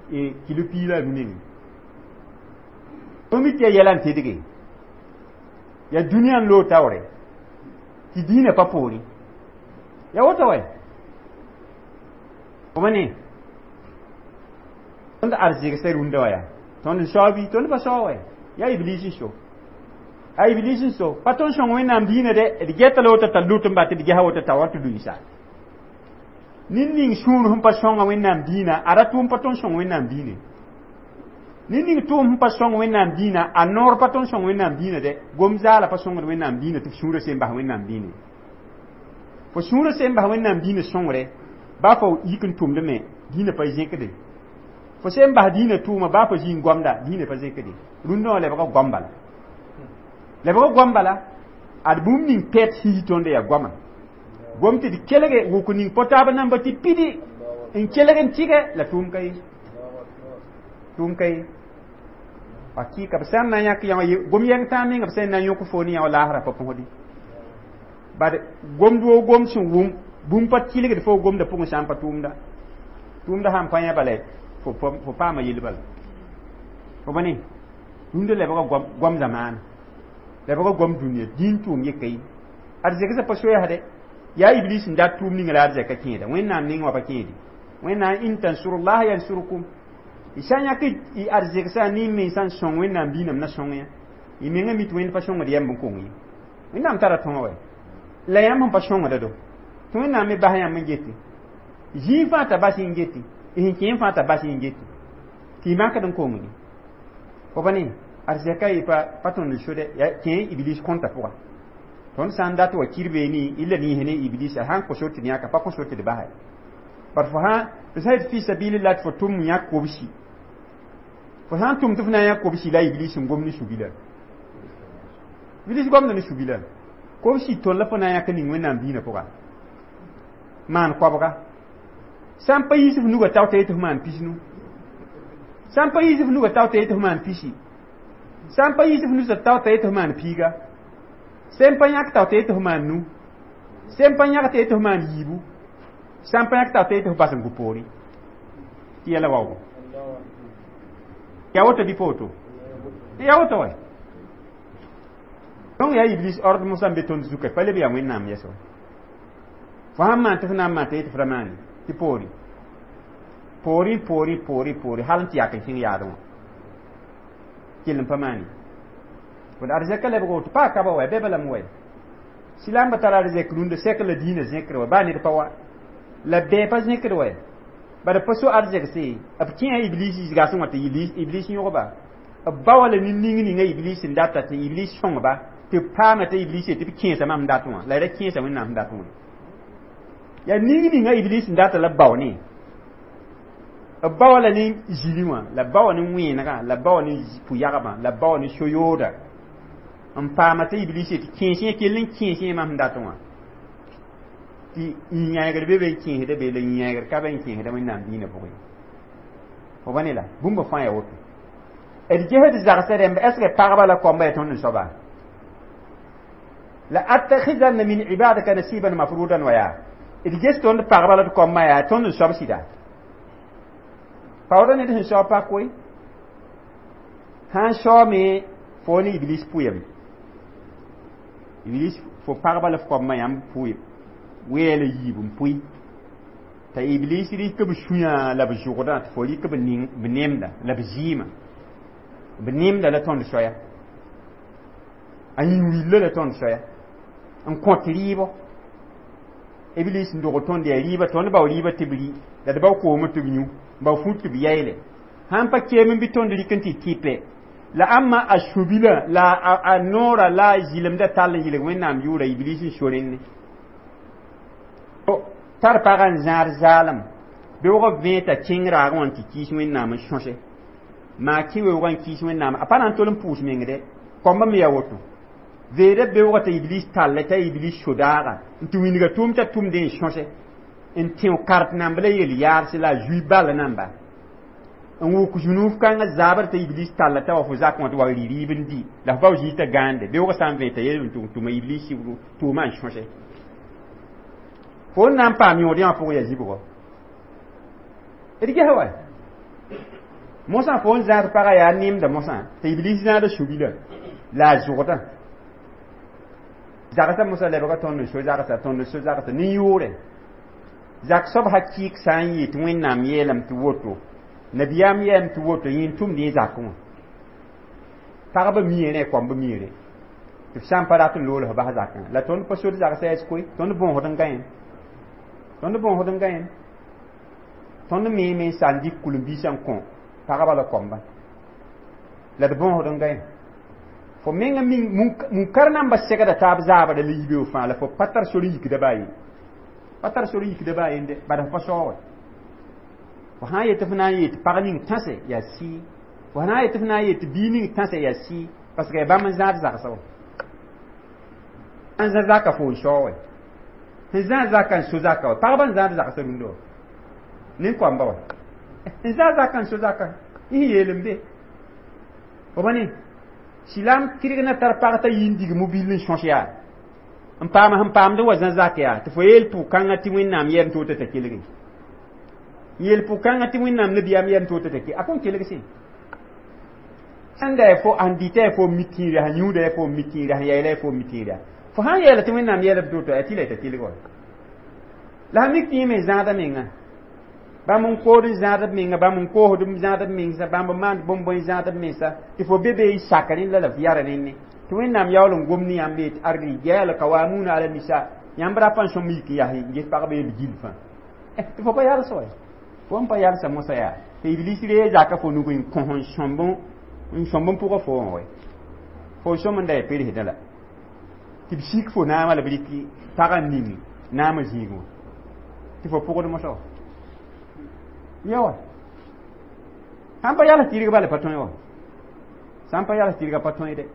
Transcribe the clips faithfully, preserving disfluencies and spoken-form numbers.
Kilo piig la a nu nengẽ. Fo mi tɩ yaa yɛla n tedge yaa dũniyã n loog taoore tɩ dĩinã pa poorẽ ya woto wɛ fo ma ne tõnd arzegsã rũndã wã yaa tõnd n sao bɩ tõnd pa sao wɛ yaa iblis n so a iblis n so pa tõnd sõng Wẽnnaam diinã dɛ d gɛta la woto t'a lut n bat d gɛsa woto t'a wa tɩ luiisa ned ning sũur sẽn pa sõnga Wẽnnaam diinã a ra tʋʋm pa tõnd sõng Wẽnnaam diinã ned ning tʋʋm sẽn pa sõng Wẽnnaam diinã a noor pa tõnd sõng Wẽnnaam diinã dɛ gom zaala pa sõngd Wẽnnaam diinã tɩ f sũurã sẽn bas Wẽnnaam diinã fo sũurã sẽn bas Wẽnnaam diinã sõngre baa fo yik n tʋmd me diinã pa zẽkde fo sẽn bas diinã tʋʋma baa fo zĩ n goamda diinã pa zẽkde rũndã wã lebga goam bala lebga goam bala ad bũmb ning pɛt sisi tõnd yaa goama gom tɩ d kelge wʋk ning po-taab namba tɩ pidi n kelg n tɩgɛ la tʋʋm ka ye tʋʋm ka ye hakɩka b sã n na n yãk yã gom yɛng tãag menga b sã n na n yõk fo ne yã wa laasra pa põsdi bad gomd woo gom sẽn wʋm bũmb pa tɩlgd fo gomda pʋgẽ sã n pa tʋʋmda tʋʋmda sãn pa yã bala fo fo paama yell bala fo ba ne rũndã lebga goam zamaana lebga goam dũniyã dĩin tʋʋm yeka ye arzɛgsã pa soaasdɛ yaa iblis n dat tʋʋm ninga la arzɛka kẽeda Wẽnnaam neng wã pa kẽede Wẽnnaam in tansurullah yansurkum y sã n yãk y arzegsã ne mensã n sõng Wẽnnaam diinam na sõng yã y menga mi tɩ Wẽnd pa sõngd yɛmb n kong ye Wẽnnaam tara tõog wɛ la yãmb sẽn pa sõngda do tɩ Wẽnnaam me bas yãmb n gete zĩig fãa t'a bas n gete y sẽn kẽ fãa t'a bas n gete tɩ y makd n kongdi fo pa ne arzɛka y pa pa tõnd n sodɛ ya kẽ iblis kõnta pʋga tõnd sã n dat wa kirbeeni y la niis ne iblis a sãn kos tɩ yãka pa kos tɩ d basɛ par fo sã tɩ sã yet fi sabilillah tɩ fo tʋm yãk kobsi fo sã n tʋm tɩ f na n yãk kobsi la iblis n gom ne subila iblis gomda ne subila kobsi tõnd la fo na n yãk ning Wẽnnaam diinã pʋga maan koabga sã n pa yiis f nuga tao t'a yetɩ f maan pisnu sã n pa yiis f nuga tao t'a yetɩ f maan pisi sã n pa yiis f nusa tao t'a yetɩ f maan piiga sẽn pa yãk tao t'a yetɩ f maan nu sẽn pa yãk t'a yetɩ f maan yiibu sã n pa yãk tao t'a yetɩ f bas n gu poorẽ tɩ yɛla waoogo yaa woto bɩ pa woto yaa woto wɛ donc yaa iblis ordre mosã n be tõnd zuka pa leb yaa Wẽnnaam yɛs wa fo sãn maan tɩ f na n maan t'a yetɩ f ra maane tɩ poorẽ poorẽ poorẽ poorẽ poorẽ hal n tɩ yak n kẽng yaadẽ wã kell n pa maane d arzɛka lebg woto paa kaba wɛ bɛba lame wɛ silãmbã tara arzɛk rũndã sɛk la diinã zẽkr wɛ baa ned pa wa la bɛɛ pa zẽkd wɛ bad pa so arzɛgse b kẽa iblis zɩgasẽ wã tɩ iblis yõgba b ba wa la nin-ning ninga iblis n data tɩ iblis sõngba tɩ b paama t'a iblis tɩ b kẽesa mam dat wã la ra kẽesa Wẽnnaam dat wã yaa ning ninga iblis n data la b bao ne b ba wa la ne zili wã la b ba wa ne wẽenega la b ba wa ne pʋ-yagbã la b ba wa ne so-yooda n paama t'a iblis tɩ kẽes yẽ kell n kẽes yẽ mam dat wã tɩ yãegr be be n kẽesda be la yãegr ka be n kẽesda Wẽnnaam diinã pʋgẽ fo ba ne la bũmba fãa yaa woto d gesd zagsã rẽmb est ce que pagba la koamba yaa tõnd n soaba la attakhizanna min ibadaka nasiban mafrudan wa yaa d ges tõnd pagba la d koamba yaa tõnd n soab sɩda paoodã ned sẽn saoog pa koe sã n saoome fo ne iblis pʋyame iblis fo pagba la f koambã yãmb pʋɩ weela yiib n pʋɩ t'a iblis rɩk b sũyã la b zʋgdã tɩ fo rɩk b nemda la b zɩɩmã b nemda la tõnd soaya a yĩn willa la tõnd soaya n kõt rɩɩbɔ iblis n dogl tõnd yaa rɩɩba tõnd bao rɩɩba tɩ b rɩ la d bao koomã tɩ b yũ bao fut tɩ b yayle sãn pa keem n bɩ tõnd rɩk n tɩ tɩpe la ãmma a sũ-bilã la a noora la a zɩlemdã tall n yɩlg Wẽnnaam yʋʋra iblis n so rẽnne tar pagã n zãad zaalem beoog vẽ t'a kẽng raagẽ wã n tɩ kɩɩs Wẽnnaam n sõse maa kẽ weoogã n kɩɩs Wẽnnaam a pa na n tol n pʋʋs meng dɛ koambã me yaa woto veeda beoogã t'a iblis talle t'a iblis so-daaga n tɩ wĩnga tʋʋm t'a tʋmdẽ n sõse n tẽo kart namb la yel yaadse la a zui bal namba n wʋk zũnuuf kãngã zaabr t'a iblis talla t'a wa fo zakẽ wã tɩ wa rɩ rɩɩb n dɩ la f bao zĩig t'a gãande beoogã sã n vẽ t'a yel n tʋma iblis sɩbro tʋʋmã n sõse fo n na n paam yõod yã pʋgẽ yaa zibgɔ d gesa wa Mosã fo n zãad pagã yaa nemda mosã tɩ iblis zãada subila la a zʋgdã zagsã mosã lebga tõnd n so zagsa tõnd n so zagsa ne yʋʋre zak soab hakɩɩk sã n yɩ tɩ wẽnnaam yeelame tɩ woto nabiyaam yeelame tɩ woto yẽ n tʋmd yẽ zakẽ wã pagba mii rẽ koamba mii rẽ tɩ f sã n pa rat n lool f bas zakẽ la tõnd pa sod zagsã yaa koe tõnd bõosd n gã yẽ tõnd bõosd n gã yẽ tõnd meeme n sa n dɩk kul-n-biisã n kõ pagba la koamba la d bõosd n gã yẽ fo menga munkar namba segda taab zaabra la yibeoog fãa la fo pa tar sor n yikda baa ye pa tar sor n yikda baa yende bad f pa saoog fo sã n yet f na n yet pag ning tãse yaa sɩɩ fo sã n yet f na n yet bii ning tãse yaa sɩɩ parce que yaa bãmb n zãad zagsã wã n zã zaka fo n saoog sẽn zã zaka n so zaka wa pagba n zãad zagsã rũndã wã nin-koamba wa n zã zaka n so zaka y yeel n be fo ba ne silam tɩrg na tar pag t'a yi n dig mobil n sõs yaa n paam sẽn paamd wa zã zak yaa tɩ fo yeel pʋg-kãngã tɩ wẽnnaam yɛm tɩ woto t'a kelge yeel pʋg-kãngã tɩ wẽnnaam nabiyaam yɛm tɩ woto t'a kelge a kõn kelg sẽ sãn da fo sẽn dɩta fo mi tĩirã sẽn yũuda fo mi tĩirã sẽn yaɩla fo mi tĩirã fo sãn yeela tɩ wẽnnaam yɛlb tɩ woto yaa tɩ la t'a kelg wa la sã mik tɩ yẽ me zãada menga bãmb n kood n zãad b menga bãmb n koosd n zãad b mensa bãmb n maand bõn-bõe zãad b mensa tɩ fo be be y sak rẽnd la la f yara rẽnne tɩ wẽnnaam yaool n gom ne yãmb yet arrijal kawamuna ala nisa yãmb rapa n sõm yik n yaa n ges pagba yel gill fãa tɩ fo pa yals wa fo n pa yalsa mosã yaa tɩ iblis ree zaka fo nug n kõ n sõmb n sõmb n pʋga fo wã wa fo sõm n da ya persdã la tɩ b sik fo naamã la b rɩk pagã n ning naamã zĩig wã tɩ fo pʋgd mosã wa yawa sãn pa yals tɩrg bala pa tõe wa sãn pa yals tɩrga pa tõe de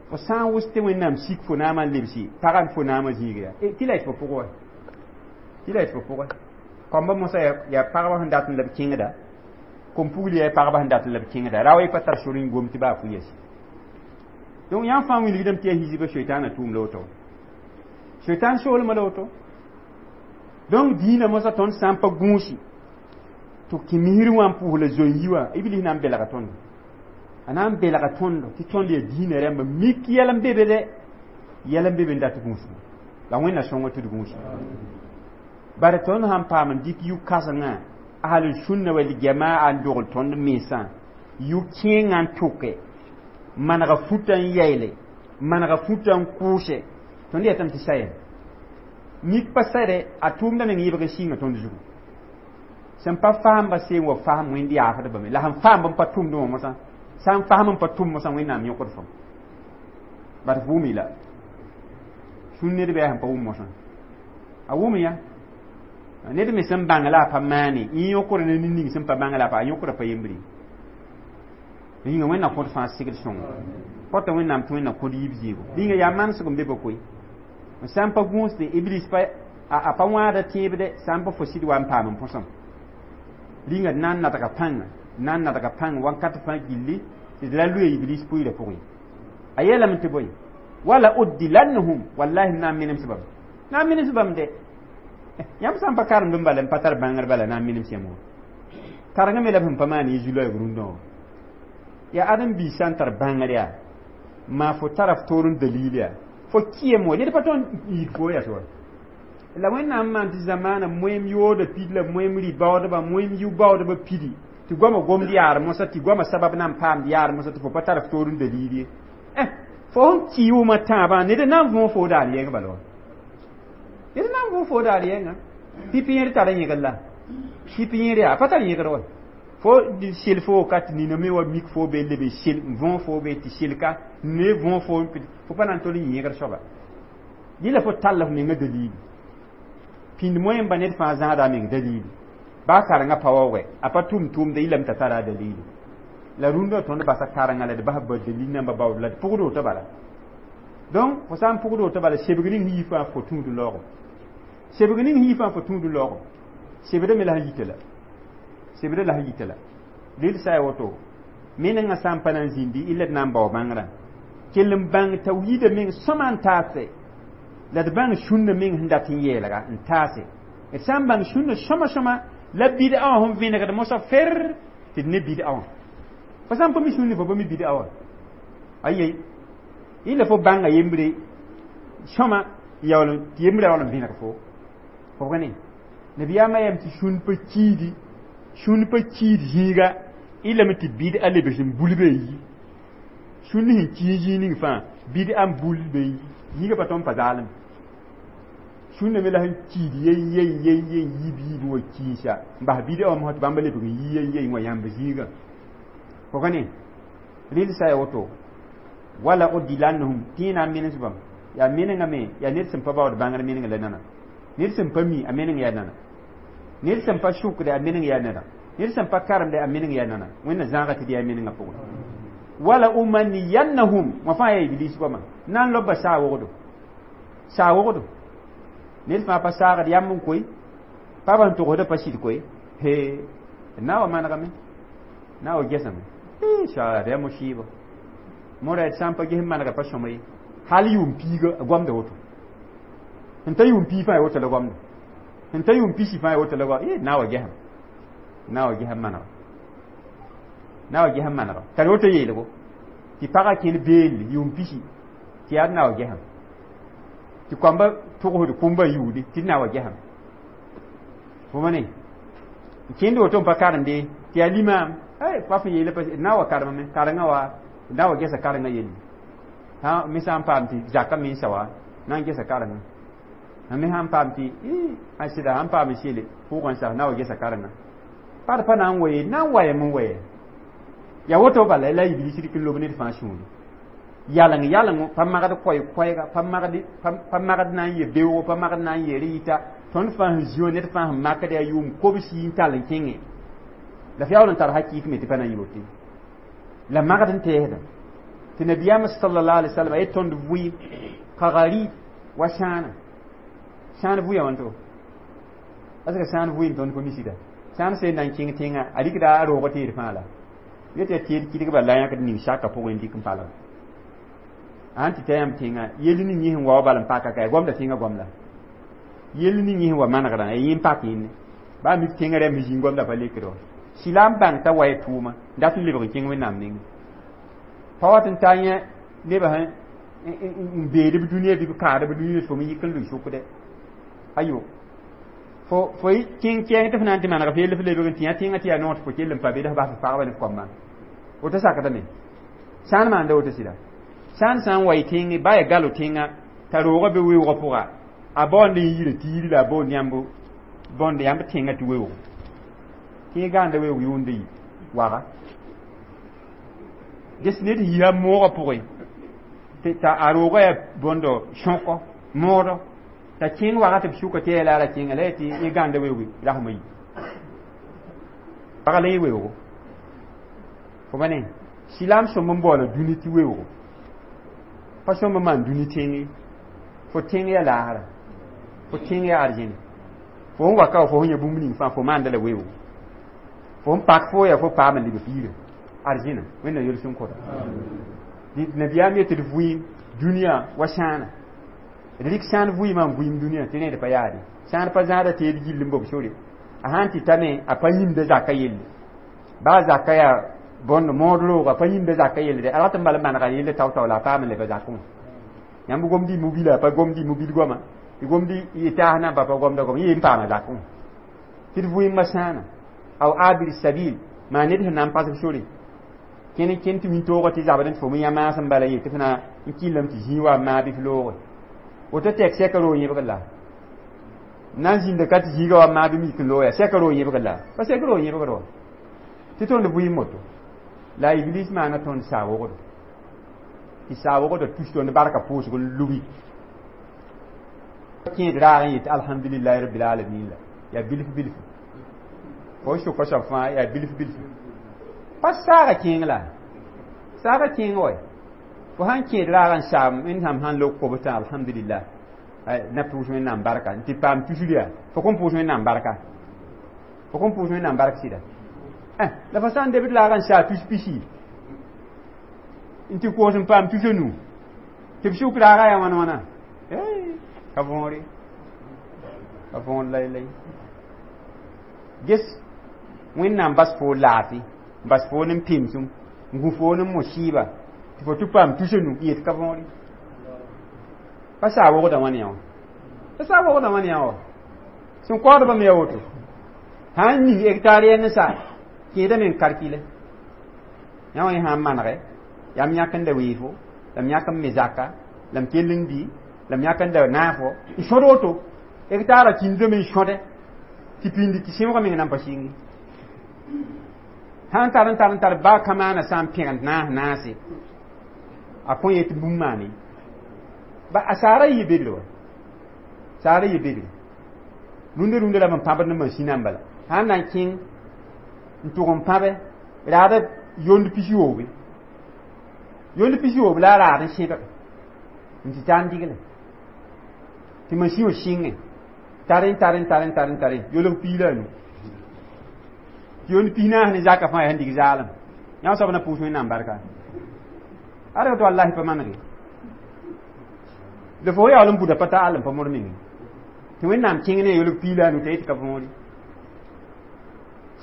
fo sã n wʋs tɩ wẽnnaam sik fo naamã n lebsi pagã fo naamã zĩig yaa tɩ la y tɩ fo pʋg wa tɩ la y tɩ fo pʋgã koamba mosã yaa pagba sẽn dat n la b kẽngda kom-pugl yaa pagba sẽn dat n la b kẽngda ra wa y pa tar sor n gom tɩ baa fu yɛs donc yãmb fãa wilgdame tɩ yaa hisba soetaanã tʋʋm la woto soetaan soolmã la woto donc dĩinã mosã tõnd sã n pa gũusi tɩ kẽ misr wã n pʋʋs la zoe-yi wã iblis na n belga tõndo a na n belga tõndo tɩ tõnd yaa dĩinã rãmba mik yɛl n be be de yɛl n be be n dat gũusgu la wẽnna sõngo tɩ d gũusi bare tõnd sãn paam n dɩk yʋ-kãsengã ahlul sunna wal jamaa n dogl tõnd mensã yʋ-kẽengã n tʋke manega futã n yayle manega futã n kʋʋse tõnd yetame tɩ sa yɛm mik pa sɛde a tʋʋmda meng yɩbg n sɩnga tõnd zugu sẽn pa faamba seen wa fasem wẽnd yaafdbame la sẽn faamb n pa tʋmd wã mosã sã n fasem n pa tʋm mosã wẽnnaam yõkd fam bat f wʋm la sũn ned bɩ a sẽn pa wʋm mosã a wʋm ya ned me sẽn bãng la a pa maane yẽ yõkra ne ning sẽn pa bãng la a pa a yõkra pa yembre yĩnga wẽnna kõt fãa segd sõngo pɔta wẽnnaam tɩ wẽnna kõd yib zɩɩgo yĩnga yaa manesg n be ba koe sã n pa gũusde iblis pa a pa wãada tẽebde sã n pa fo sɩd wa n paam n põsem rĩnga d na n nadga pãnga na n nadga pãng wãnkat fãa gilli tɩ d ra loe iblis pʋɩɩrã pʋgẽ a yeelame tɩ bõe wala uddilannahum wallahi na n menems bãmb na n menems bãmb de yãmb sã n pa karemd n bala n pa tar bãngr bala na n menems yãmb wã karengã me la b sẽn pa maan yẽ zu-loɛɛg rũndã wã yaa ãdem-biis sã n tar bãngr yaa maa fo tara f toor n dalil yaa fo kɩyem wa ned pa tõnd n yik fo yas wa la wẽnnaam maan tɩ zamaana moem yooda pid la moem rɩ-baoodba moem yʋ-baoodba pidi tɩ goama gomd yaar mosã tɩ goama sabab na n paamd yaar mosã tɩ fo pa tar f toor n dalil ye eh fo sẽn kɩ wʋma tãabã ned na n võo fo daar yɛng bala wa ned na n võo fo daar yɛnga pipi yẽr tar yẽgr la pipi yẽr yaa pa tar yẽgr wa fo sel fo ka tɩ nina me wa mik fo be lebe sel n võo fo be tɩ selka ne võo fo fo pa na n tol n yẽgr soaba dɩla fo tall f menga dalili pĩnd moẽmba ned fãa zãada a meng dalili baa karengã pa waoogɛ a pa tʋm tʋʋmda yɩlame t'a tara a dalili la rũndã tõnd basa karengã la d bas ba dalil namba baood la d pʋgd woto bala donc fo sã n pʋgd woto bala sebg ning sẽn yi fãa fo tũud laoogo sebg ning sẽn yi fãa fo tũud laoogo sebdame la sẽn yita la sebda la sẽn yita la dɩl sa ya woto menengã sã n pa na n zĩndi illa d na n bao bãngrã kell n bãng tawhiida meng sõma n taase la d bãng sũnna meng sẽn dat n yeelga n taase d sã n bãng sũnna sõma sõma la bid'a wã sẽn vẽnegd mosã fer Tɩ d ne bid'a wã fo sã n pa mi sũur ne fo pa mi bid'a wã aye ila fo bãnga yembre sõma yaool tɩ yembrã yaool n vẽneg fo fo ne nabiyaamã yam tɩ sũn pa kiidi sũn pa kiid zĩiga ilame tɩ bid'a lebs n bul be yi sũn sẽn kii zĩig ning fãa bid'a n bul be yi zĩiga pa tõnd pa zaalem sũnna me la sẽn kiid yen yen yen yen yiib yiib n wa kiisa n bas bid'a wã mosã tɩ bãmba lebg n yi yen yen wa yãmb zĩigã fo ka ne rɩl sa ya woto wala udilannahum tɩ na n menes bãmb yaa menengã me yaa ned sẽn pa baood bãngr meneng la nana ned sẽn pa mi a meneng yaa nana ned sẽn pa sʋkde a meneng yaa nana ned sẽn pa karemde a meneng yaa nana wẽnna zãaga tɩ d yaa menengã pʋgẽ wala umanniyannahum wã fãa yaa iblis goama na n loba saa wogdo saa wogdo ned fãa pa saagd yãmb n koe pa sẽn togsda pa sɩd koe he na wa manegame na wa gesame saad yaa mo-sɩɩba mora d sã n pa ges n manega pa sõma ye hal yʋʋm piiga a goamda woto sẽn ta yʋʋm piig fãa ya woto la goamda sẽn ta yʋʋm pisi fãa ya woto la goam e na wa gesam na wa gesam manega na wa gesam manega tara woto yeelgo tɩ pagã kẽn beelle yʋʋm pisi tɩ yaa d na wa gesam tɩ koamba togsd kũmba yuudi tɩ d na wa gesam fo ma ne kẽnd woto n pa karemde tɩ yaa limaam ay pa fõ yeela pa na wa karemame karengã wa na wa gesa karengã yelle ha me sã n paam tɩ zaka mensa wa na n gesa karengã me sã n paam tɩ a sɩda sãn paam n sele pʋʋgã sa na wa gesa karengã pa d pa na n wa ye na n wayame n waya ya woto bala la iblis rɩk n lob ned fãa sũuri yaleng yaleng pa magd koɛɛ-koɛɛga pa magd pa magd na n ye beoogo pa magd na n yeer yita tõnd fãa sẽn zĩwã ned fãa sẽn makd yaa yʋʋm kobsi n tall n kẽngẽ la f yaool n tar hakɩɩk me tɩ pa na n yɩ woto la magd n tɛɛsda tɩ nabiyaam sallallahu alaihi wasallam a yet tõnd vʋɩ kagari wa sãana sãan vʋɩ wãnto asga sãan vʋɩ n tõnd pa misida sãan sẽn na n kẽng tẽngã a rɩkda a roogã teed fãa la yet yaa teed kɩdgba la yãkd ning saka pʋgẽ n dɩk n palga sãn tɩ ta yãmb tẽngã yell ning yẽ sẽn wa wa bal n paka ka goamda tẽngã goam la yell ning yẽ sẽn wa manegrã ya yẽ n pak yẽnne baa mik tẽngã rãmb zĩig goamda pa lekd wa sɩla n bãng t'a wa y tʋʋma dat n lebg n kẽng wẽnnaam nengẽ pa wat n ta yẽ nebã n beed b dũniyã bɩ b kaad b dũniyã tɩ fo me yik n lʋɩ sʋkdɛ ayo fo fo kẽng kɛɛng tɩ f na n tɩ maneg f yell f lebg n tɩ yã tẽngã tɩ yaa noor tɩ fo kell n pa be la f bas f pagba ne f koambã woto sakdame sã n maanda woto sɩda sã n sã n wa y tẽngẽ ba ya galo tẽngã t'a roogã be weoogã pʋga a baoond n yira tɩ yiri la a boond yãmb bõnd yãmb tẽngã tɩ weoogo tẽeg gãanda weoog yʋʋnda yi waga ges ned yisa moogã pʋgẽ t'a a roogã yaa bõndo sõkɔ moodɔ t'a kẽng waga tɩ b sʋka tɩ yaa la a ra kẽnga la yaa tɩ yẽ gãanda weooge rasmã yi waga la yẽ weoogo fo ma ne silaam sõmb n baoola dũni tɩ weoogo pa sõmb n maan dũni tẽng fo tẽng yaa laasra fo tẽng yaa arzẽne fo n wa ka wa fo sẽn yã bũmb ning fãa fo maanda la weoogo fo n pak fo yaa fo paam n leb f yirã arzẽna wẽnna yel-sõm kõta nabiyaam yetɩ d vʋɩɩm dũniyã wa sãana d rɩk sãan vʋɩɩmã n vʋɩɩm dũniyã tɩ rẽed pa yaade sãan pa zãada teed gill n bob sore a sãn tɩ tame a pa yĩmda zaka yelle baa zaka yaa bõnd mood rooga pa yĩmda zaka yelle de a rat n bal n manega yelle tao-tao la a paam n leba zakẽ wã yãmb gomd y mobila pa gomd y mobil goama y gomd y taas namba pa gomda gom yẽ n paama zakẽ wã tɩ d vʋɩɩmã sãana aw abir sabil maa ned sẽn na n pasg sore kẽn kẽn tɩ wĩntoogã tɩ zabd n tɩ fo me yã maasem bala ye tɩ f na n kɩllame tɩ zĩig wa maa bɩ f looge woto tɛk sɛka roog yẽbg la na n zĩnda ka tɩ zĩiga wa maa bɩ mik n loog yaa sɛka roog yẽbg la pa sɛk roog yẽbgd wa tɩ tõnd vʋɩɩm woto la iblis maana tõnd saa wogdo tɩ saa wogdã tus tõnd barka pʋʋsg n lubi kẽed raag n yetɩ alhamdulillahi rabbil alamin la yaa bilf bilf fo n sʋka soab fãa yaa bilf bilf pa saaga kẽeng la saaga kẽeng wa fo sãn kẽed raag n saam wẽnnaam sãn log kobtã alhamdulillah na pʋʋs wẽnnaam barka n tɩ paam tusr yaa fo kõn pʋʋs wẽnnaam barka fo kõn pʋʋs wẽnnaam bark sɩda la fo sã n debd laag n saa tus pisi n tɩ koos n paam tus nu tɩ b sʋk raaga yaa wãn wãna ka võore ka võor lay-lay ges wẽnnaam bas fo laafɩ n bas fo ne pemsem n gũ fo ne musiba tɩ fo tɩ paam tus nu yet ka võore pa saa wogda wãn yã wã pa saa wogda wãn yã wã sẽn kaoodbã me ya woto sã n ning hectare yɛl ne saa kẽedame n kalkile yã wã sã n manege yaa m yãk n da weefo la m yãk n me zaka la m kell n di la m yãk n da naafo n sõd woto hectare kĩndame n sõde tɩ pĩndi tɩ sẽoogã meng nan pa sɩngi sã n tar n tar n tar baa kamaana sã n pẽgend naas naase a kõ yetɩ bũmb maane ba a saara yɩ bedre wa saara yɩ bedre rũndã rũndã la b n pãbd ne masĩnã n bala sã n na n kẽng n tʋg n pãbe raada yond pis-yoobe yond pis-yoob la a raad n sẽbg n tɩ tar n digle tɩ masĩ wã sɩngẽ tar n tar n tar n tar n tare yolg piig la a nu tɩ yond pis naas ne zaka fãa yaa sẽn dig zaalem yã soab na pʋʋs wẽnnaam barka ad tɩ wallahi pa manege la fo yaool n buda pa ta all n pa mod menge tɩ wẽnnaam kẽng ne yolg piig la a nu t'a yetɩ ka võore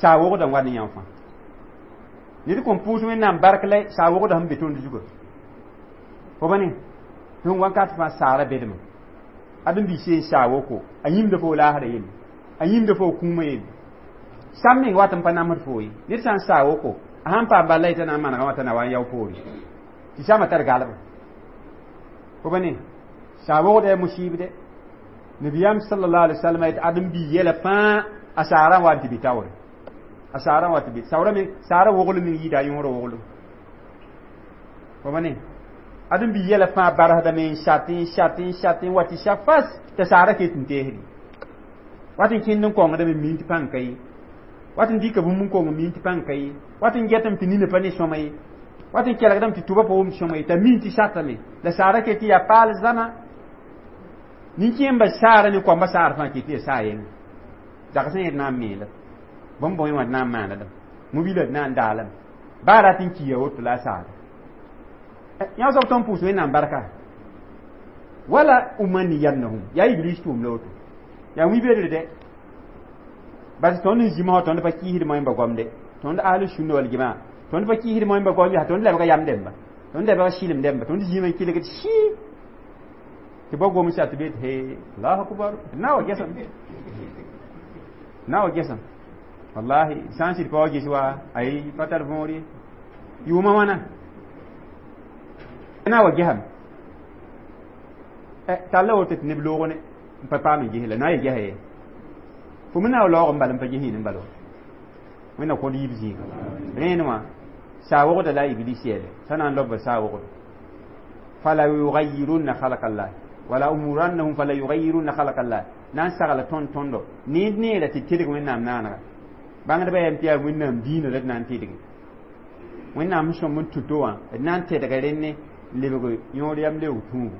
saa wogda n wa ne yã fãa ned kõn pʋʋs wẽnnaam bark la saa wogda sẽn be tõnd zuga fo ba ne tõnd wakat fãa saara bedme ad n bi seen saa woko a yĩmda fo laasra yelle a yĩmda fo kũumã yelle sam meng wat n pa namsd fo ye ned sã n saa woko a sãn paam bala yetã na n manegã wã t'a na wa n yao poore tɩ samã tar galba fo ba ne saa wogda yaa musibde nabiyam sallallahu alaihi wasallam yet ad n bi yɛla fãa a saarã wa n tɩ bɩ taoore a saarã wa tɩ bɩ saoora me saara woglem meng yɩɩda a yõora woglem fo ba ne ad n bi yɛla fãa barsdame n sat n sat n sat n wa tɩ sa fas t'a saara ket n teesdi wat n kẽnd n kongdame min tɩ pãng ka ye wat n dɩka bũmb n kong min tɩ pãng ka ye wat n getame tɩ nina pa ne sõma ye wat n kelgdame tɩ tʋba pa wʋmd sõma ye t'a min tɩ satame la saara ket tɩ yaa paal zãma nin-kẽemba saara ne koamba saar fãa ket tɩ yaa saa yẽnga zagsẽ yẽ d na n meela bõn-bõe wã d na n maana mobila d na n daalame baa rat n kiya woto la a saara yã soab tõnd pʋʋs wẽnnaam barka wala umanniyannahum yaa iblis tʋʋm la woto yaa wĩ-bedre dɛ bas tõnd n zĩma tõnd pa kiisd moẽmba goamde tõnd ahlu sunna wal jamaa tõnd pa kiisd moẽmba goam yaa tõnd lebga yam dẽmba tõnd lebga sɩlem dẽmba tõnd zĩma n kelgd sɩ tɩ bao gomsa tɩ bet he allahu akbar na wa gesam na wa gesam wallahi sã n sɩd pa wa ges wa ay pa tar võor ye yʋʋmã wãna na wa gesame talla woto tɩ neb loog ne n pa paam n ges la na n gesa ye fo me na wa laoog n bal n pa ges yĩn n bal wa wẽnna kõd yiib zĩiga rẽen wã saa wogda la iblis yɛle sã na n lob saa wogda fala yugayirunna khalqa llah wala umurannahum fala yugayirunna khalqa llah na n sagla tõnd tõndo ned neera tɩ tedg wẽnnaam naanega bãngdbã yam tɩ yaa wẽnnaam diinã la d na n tedge wẽnnaam sẽn sõm n tuto wã d na n tedga rẽnne n lebg yõod yam leoog tũugo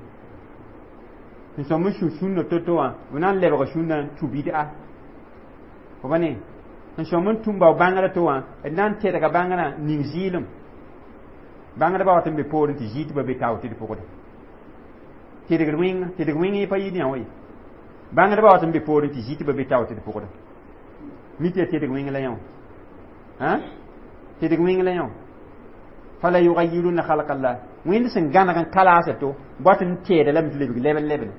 sẽn sõm n sũ sũnna to-to wã b na n lebga sũnna n tũ bid'a fo ba ne sẽn sõm n tũ bao bãngrã to wã d na n tedga bãngrã ning zɩɩlem bãngdbã wat n be poorẽ tɩ zɩɩ tɩ ba be tao tɩ d pʋgda tedgd wẽnga tedg wẽng yẽ pa yɩɩd yã wa ye bãngdbã wat n be poorẽ tɩ zɩ tɩ ba be tao tɩ d pʋgda mi tɩ ya tedg wẽng la yã wã tedg wẽng la yã wã fala yugayirunna khalqa llah wẽnd sẽn gãneg n kalaasa to boat n teeda lame tɩ lebg lɛben lɛbene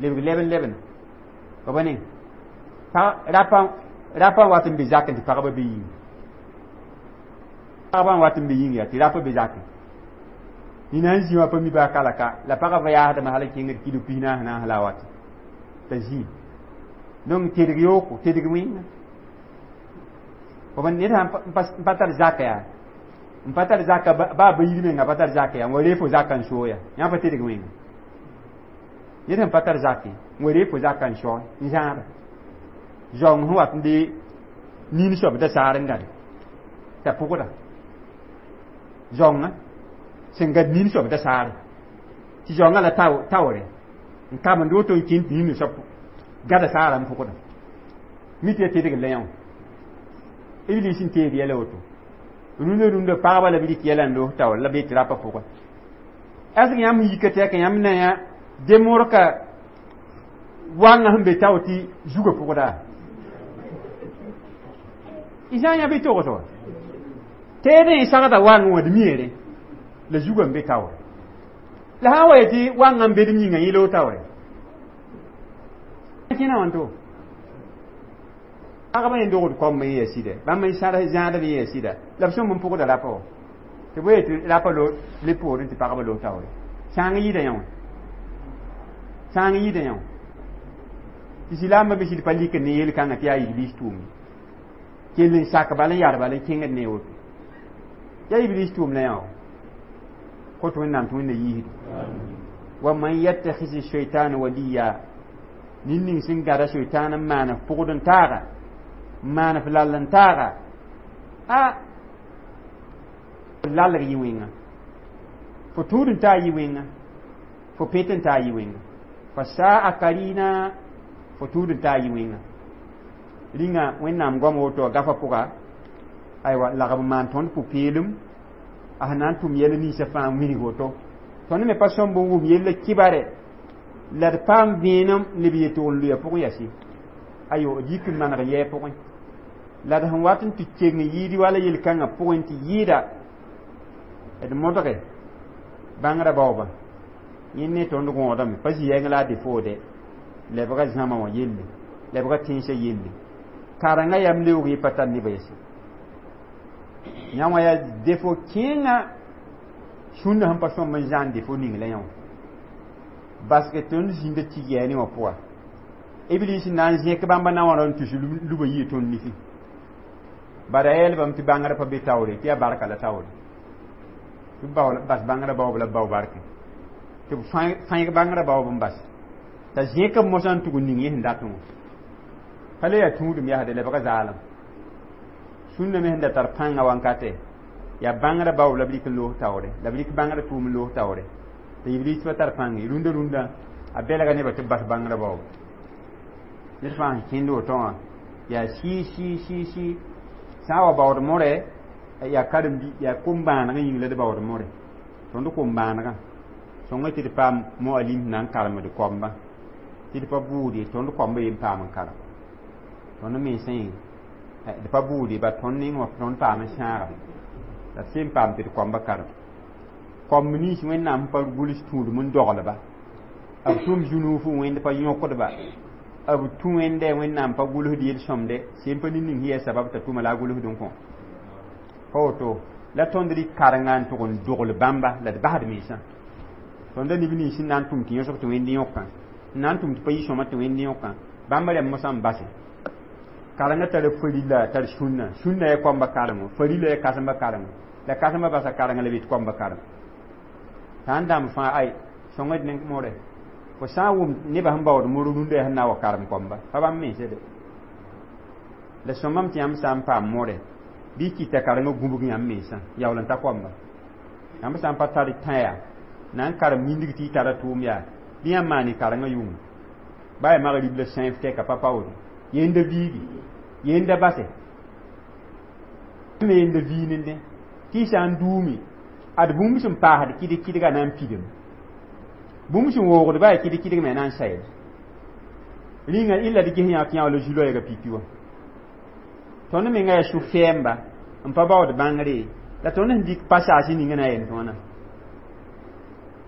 lebg lɛben lɛbene fa ba ne rapa rapa wat n be zakẽ tɩ pagba be yĩng pagba n wat n be yĩng yaa tɩ rapa be zakẽ nina n zĩ wã pa mi baa kalaka la pagã va yaasdame hal n kẽngd kilo pis naas naas la a wat t'a zĩ donc tedg yooko tedg wẽnga fo ned sã n pa tar zaka yaa n pa tar zaka baa ba yir menga pa tar zaka yaa n wa ree fo zaka n sooya yã pa tedg wẽnga ned sẽn pa tar zake n wa ree fo zaka n soe n zãada zaoong sẽn wat n de nin soab da saar n gade t'a pʋgda zaoongã sẽn gad nin soab da saare tɩ zaoongã la taoore n kamend woto n kẽnd tɩ nin soab gada saara n pʋgda mi tɩ ya tedg la yã wã iblis n teed yɛla woto rũndã rũndã pagba la b rɩk yɛla n loos taoor la be tɩ rapa pʋgẽ ɛsg yãmb yika tɩ yaa yãmb na yã demorka wãngã sẽn be tao tɩ zugã pʋgda y sã n yã bɩ togs wa Teedẽ sagda wang wã d miere la zugã n be taoore la sã n wa yetɩ wangã n bed m yĩnga yẽ loog taoore kẽna wãnto pagba yẽ dogd koamb n yaa sɩda bãmb n sãd zãadb n yaa sɩda la b sõmb n pʋgda rapa wã tɩ bõe tɩ rapa le poorẽ tɩ pagba loog taoore sãang yɩɩda yã wã sãang yɩɩda yã wã tɩ silaambã me sɩd pa likd ne yel-kãngã tɩ yaa iblis tʋʋm kell n sak bal n yar bal n kẽngd ne woto yaa iblis tʋʋm la yã wã kot wẽnnaam tɩ wẽnna yiisdo wa man yattakhis shaytan waliya nin ning sẽn gada shaytan n maan f pʋgd n taaga n maan f lall n taaga a lalg yɩ wẽnga fo tũud n taa yɩ wẽnga fo pet n taa yɩ wẽnga fa saa karina fo tũud n taa yɩ wẽnga rĩnga wẽnnaam goam woto a gafa pʋga aywa lagb n maan tõnd pʋ-peelem a sẽn na n tʋm yɛl ninsã fãa n wilg woto tõnd me pa sõmb n wʋm yella kibare la d paam vẽenem leb yetg n loya pʋgẽ yasi ayo d yik n maneg yɛɛ pʋgẽ la d sẽn wat n tɩ keng n yɩɩd wala yel-kãngã pʋgẽ tɩ yɩɩda d modge bãngrã baoobã yẽ ne tõnd gõodame pa zĩ-yɛng la a defoode lebga zãma wã yelle lebga tẽnsã yelle karengã yam leoog yẽ pa tar nebã yɛse yã wã yaa defo kẽengã sũnda sẽn pa sõmb n zãan defo ning la yã wã baske tõnd zĩnda tig yaa ne wã pʋga iblis na n zẽk bãmba na wã n tus lubã yɩ tõnd nifẽ bada yɛlbame tɩ bãngrã pa be taoore tɩ yaa barka la taoore tɩ b bas bãngrã baoob la b bao barke tɩ b fãeg bãngrã baoob n bas t'a zẽk b mosã n tʋg n ning yẽ sẽn datẽ wã pa le yaa tũudem yasde lebga zaalem sũnna me sẽn da tar pãngã wankate yaa bãngrã baoob la b rɩk n loos taoore la b rɩk bãngrã tʋʋm n loos taoore tɩ iblis pa tar pãnge rũndã rũndã a belga nebã tɩ b bas bãngrã baoob ned fãa sẽn kẽnd woto wã yaa sɩ sɩ sɩ sɩ sã n wa baood more yaa karen yaa kom-bãanegã yĩng la d baood more tõnd kom-bãanegã sõnga tɩ d paam moalim na n karemd koamba tɩ d pa bʋʋd ye tõnd koamba yen paam n karem tõnd mensã yẽ d pa bʋʋd ye ba tõnd ning wã tõnd paam n sãaga la d sem paam tɩ d koamba karem koamb nins wẽnnaam pa gʋls tũudem n doglba b tʋm zu-nuuf wẽnd pa yõkdba b tũ wẽnde wẽnnaam pa gʋlsd yel-sõmde sem pa nin-ning sẽn yaa sabab t'a tʋma la a gʋlsd n kõ pa woto la tõnd rɩk karenga n tʋg n dogl bãmba la d basd mensã tõnda neb nins n na n tʋm tɩ yõsg tɩ wẽnd yõkã n na n tʋm tɩ pa yɩ sõma tɩ wẽnd yõkã bãmba rẽmb mosã n base karenga tara farila tar sũnna sũnna yaa koamba karengo farila yaa kãsembã karengo la kãsembã basa karenga la be tɩ koamba karem t'a n dãmb fãa ay sõngd ne more fo sã n wʋm nebã sẽn baood mor rũndã yaa sẽn na n wa karem koamba pa bãmb mense de la sõmame tɩ yãmb sã n paam more bɩ kɩta karengã gũbg yãmb mensã yaool n ta koamba yãmb sã n pa tar tã yaa na n karem yĩndg tɩ y tara tʋʋm yaa bɩ yãmb maan karengã yʋnga ba yaa magrib la sãif tɛka pa paoode yenda viigi yenda base me yenda viinende tɩ y sã n duumi ad bũmb sẽn paasd kɩdg kɩdga na n pidem bũmb sẽn woogd ba yaa kɩdg kɩdg me na n sayd rĩnga illa d ges yã tɩ yã la zu-loɛɛgã pipi wã tõnd menga yaa su-fɛɛmba n pa baood bãngre la tõnd sẽn dɩk passage ninga na n yel wãna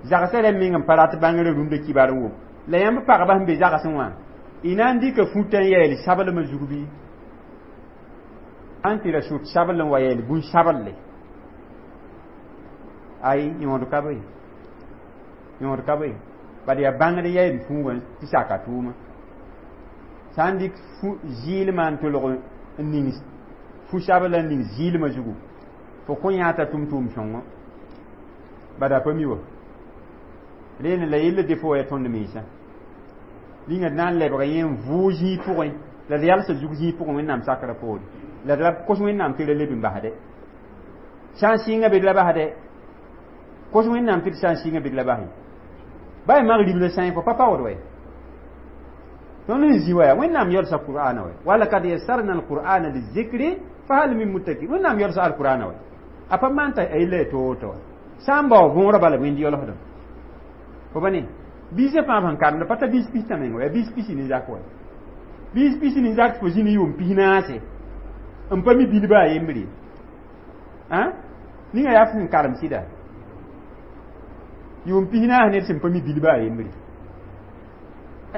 zagsã rẽmb meng n pa rat bãngrã rũndã kibar n wʋm la yãmb pagba sẽn be zagsẽ wã y na n dɩka fũtã n yɛɛl sablmã zug bɩ n tɩ ra sʋt sabl n wa yɛɛl bũn-sablle ay yõod ka be yõod ka be bad yaa bãngr yɛɛm fuugã tɩ saka tʋʋma sã n dɩk zɩɩlmã n tolg n ning fu-sabl n ning zɩɩlmã zugu fo kõ yã t'a tʋm tʋʋm sõngo bada pa mi wa rẽnd la yella defo yaa tõnd mensã rĩnga d na n lebga yẽ n vʋʋg zĩig pʋgẽ la d yalsa zug zĩig pʋgẽ wẽnnaam sakrã poore la d ra kos wẽnnaam tɩ ra leb n basde sã n sɩnga be d la basde kos wẽnnaam tɩ d sã n sɩnga be d la bas ba y magrib la sã fo pa paood wɛ tõnd sẽn zĩ wa wẽnnaam yalsa qur'ana wɛ walakad yassarna alqur'ana lizikri fahal min muddakir wẽnnaam yalsa alqur'ana wɛ a pa maan t'a yella ya to-woto wa sã n bao võorã bala wẽnd yalsdem fo ba ne biisã fãa sẽn karemda pa ta biis pistã meng wa yaa biis pisi ne zak wa biis pisi ne zak fo zĩ ne yʋʋm pis naase n pa mi bilba a yembre Ã, ninga yaa sẽn karem sɩda yʋʋm pis naas ned sẽn pa mi bilba a yembre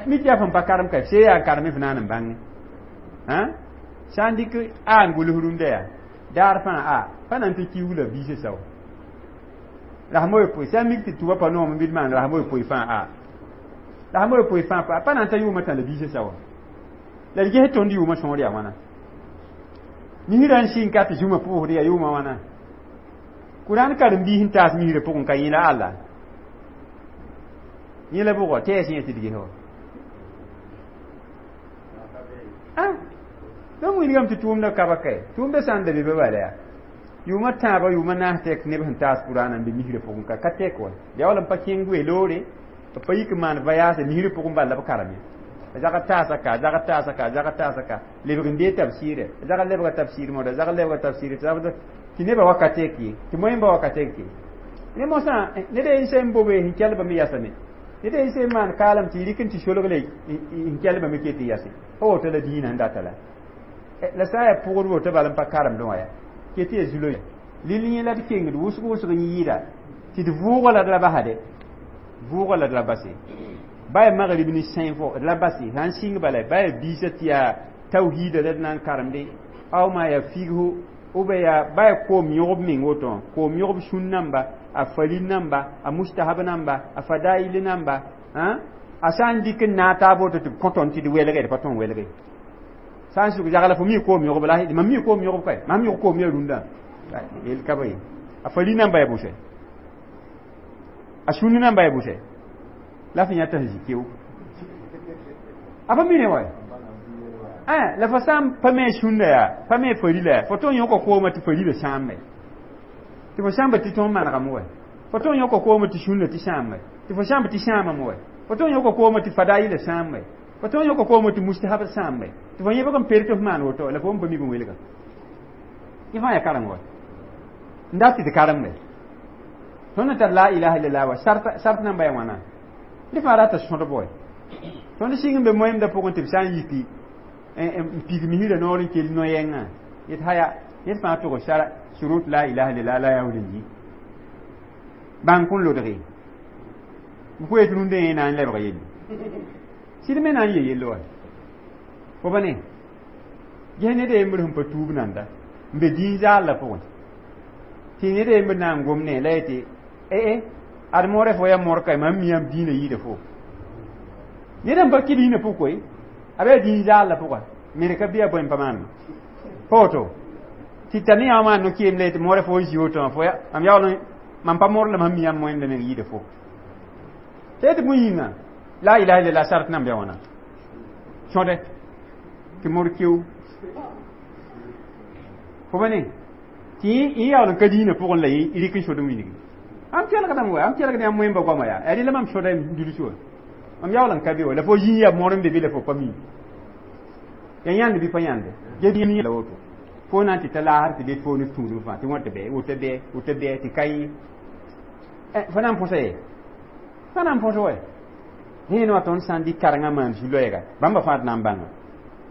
mi tɩ yaa fõn pa karem ka see yaa n karem f naan n bãnge. Ã, sã n dɩk a n gʋls rũndã yaa daar fãa a pa na n tɩ kiug la biisã sao rasem yopoe sã n mik tɩ tʋba pa noom n bɩ d maan rasem yopoe fãa a rasem yopoe fãa pa pa na n ta yʋʋmã tã la biisã saoa la d ges tõnd yʋʋmã sõor yaa wãna misrã n sɩng ka tɩ zũma pʋʋsd yaa yʋʋmã wãna Kurãn karen-biis n taas misrã pʋgẽ ka yẽ la Alla yẽ la bʋgɔ tɩ yaa sẽn tɩ d ges wa ah donc wilgame tɩ tʋʋmda ka ba kae tʋʋmda sã n da be ba bala yaa yʋʋmã tãabã yʋʋmã naas tɛk neb sẽn taas Kurãn n be misrã pʋgẽ ka ka tɛk wa yaa wala n pa kẽng goe loore b pa yik n maan voyage misrã pʋgẽ bal la b karem zag taasa ka zag taasa ka zag taasa ka lebg n dee tabsiire zag lebga tabsiir moda zag lebga tabsiir tɩ nebã wakat ye tɩ moẽmba wakat ye ne mosã ned n sẽn bobe n kelbame yasame ned n sẽn maan kaalem tɩ rɩk n tɩ solgle n kelbame ke tɩ yase pa woto la dĩinã n data la la sã n yaa pʋgd woto bal n pa karemdẽ wã ya ke tɩ ya zulo lil yẽ la d kengd wʋsg wʋsg n yɩɩda tɩ d vʋʋgã la d ra basade vʋʋgã la d ra base baya magrib ni sẽn fo d la base sã n sɩng bala baya biisã tɩ yaa tawhiida la d na n karemde aw maa yaa fighu ou bien yaa baya koom yõgb meng woto koom yõgb sũn namba a falil namba a mustahab namba a fadail namba a sã n dɩk n naag taab woto tɩ b kõ tõnd tɩ d welge d pa tõn welge sã n sʋk yagla fo mi koom yõgb la mam mi koom yõgb kae mam yõg koom yaa rũndã yel ka ba ye a fali namba yaa bʋsɛ a sũni namba yaa bʋsɛ la fõ yãta sẽn zĩ keo a pa mine wa la fo sã n pa me sũnda yaa pa me farila yaa fo tõn yõka koomã tɩ farila sãambe tɩ fo sãmba tɩ tõnd manegame wa fo tõn yõka koomã tɩ sũnda tɩ sãambe tɩ fo sãmba tɩ sãamame wa fo tõn yõka koomã tɩ fadaila sãambe fo tõn yõka koomã tɩ mustahab sãambe tɩ fo yẽbg n per tɩ f maan woto la fo n pa mik n welga yẽ fãa yaa kareng wa n dat tɩ tɩ karembe tõnd n tar la ilaha illallah wa sart namba yaa wãna dẽ fãa rata sõdb wa tõnd sɩng n be moẽmdã pʋgẽ tɩ b sã n yiki n pig misrã noor n kell no-yɛngã yet haya ned fãa tʋg sara surut la ilaha illallah la yaool n yi bãng kõn lodge b koeet rũndã yẽ na n lebg yelle sɩd me na n ye yell wa fo ba ne ges ned a yembr sẽn pa tuub nanda n be dĩin zaal la pʋgẽ tɩ ned a yembr na n gom ne la yetɩ ee ad moorã fo yaa moor ka mam mi yãmb dĩinã yɩɩda fo ned n pa kɩ dĩinã pʋg koe a bɩ dĩin zaal la pʋga mere ka bɩ a bõe n pa maanema pa woto tɩ t'a ne yã maan no-keem la yetɩ moorã fo n zi woto wã fo mam yaool mam pa moor la mam mi yãmb moẽmda meng yɩɩda fo tɩ yetɩ bõe yĩnga la ilaha illallah sart nan bɩ wãna sõde tɩ mor keo fo ba ne tɩ yẽ yaool n ka dĩinã pʋgẽ la yẽ rɩk n sod n wilgi am kelgdame wa am kelgd yãmb moẽmba goama yaa yaa rɩla mam sõda n dulus wa mam yaool n ka be wa la fo zĩ yaa moor n be bɩ la fo pa mi ya yãnd bɩ pa yãnde ge la woto fo na n tɩ ta laasr tɩ be fo ne tũudum fãa tɩ wã tɩ bɛ woto bɛ woto bɛ tɩ ka yẽ fo na n põsa ye fa na n põs wa rẽen wã tõnd sã n dɩk karengã maan zu-loɛɛga bãmba fãa d na n bãnga